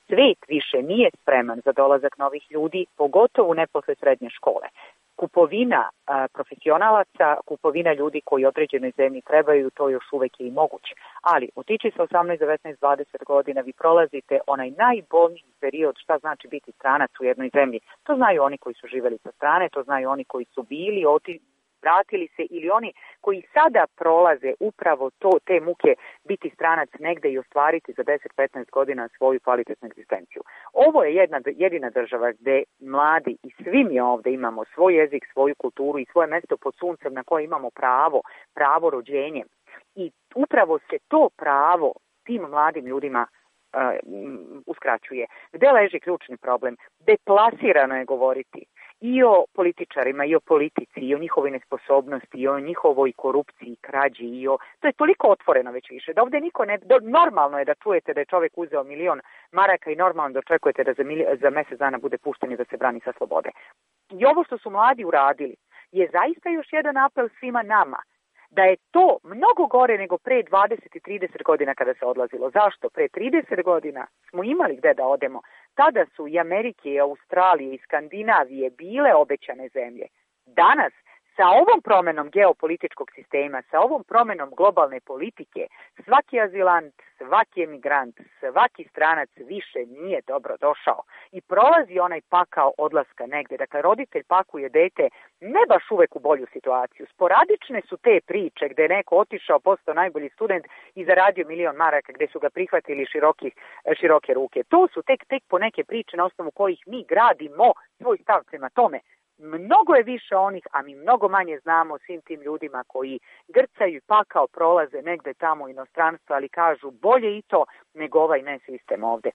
svet više nije spreman za dolazak novih ljudi, pogotovo ne posle srednje škole. Kupovina profesionalaca, kupovina ljudi koji određenoj zemlji trebaju, to još uvek je i moguće. Ali otići sa 18, 19, 20 godina, vi prolazite onaj najbolniji period šta znači biti stranac u jednoj zemlji. To znaju oni koji su živeli sa strane, to znaju oni koji su bili, vratili se ili oni koji sada prolaze upravo te muke biti stranac negde i ostvariti za 10-15 godina svoju kvalitetnu egzistenciju. Ovo je jedina država gde mladi i svi mi ovde imamo svoj jezik, svoju kulturu i svoje mesto pod suncem na koje imamo pravo rođenjem. I upravo se to pravo tim mladim ljudima uskraćuje. Gde leži ključni problem? Deplasirano je govoriti i o političarima, i o politici, i o njihovoj nesposobnosti, i o njihovoj korupciji, krađi, to je toliko otvoreno već više, da ovde niko ne... Normalno je da čujete da je čovek uzeo 1.000.000 maraka i normalno da očekujete da za mesec dana bude pušten i da se brani sa slobode. I ovo što su mladi uradili je zaista još jedan apel svima nama, da je to mnogo gore nego pre 20 i 30 godina kada se odlazilo. Zašto? Pre 30 godina smo imali gde da odemo. Tada su i Amerike, i Australije, i Skandinavije bile obećane zemlje. Danas, sa ovom promenom geopolitičkog sistema, sa ovom promenom globalne politike, svaki azilant, svaki emigrant, svaki stranac više nije dobro došao i prolazi onaj pakao odlaska negde. Dakle, roditelj pakuje dete ne baš uvek u bolju situaciju. Sporadične su te priče gde je neko otišao, postao najbolji student i zaradio 1.000.000 maraka gde su ga prihvatili široke ruke. To su tek po neke priče na osnovu kojih mi gradimo svoj stav prema tome. Mnogo je više onih, a mi mnogo manje znamo o svim tim ljudima koji grcaju i pakao prolaze negde tamo u inostranstvu, ali kažu bolje i to nego ovaj nesistem ovde.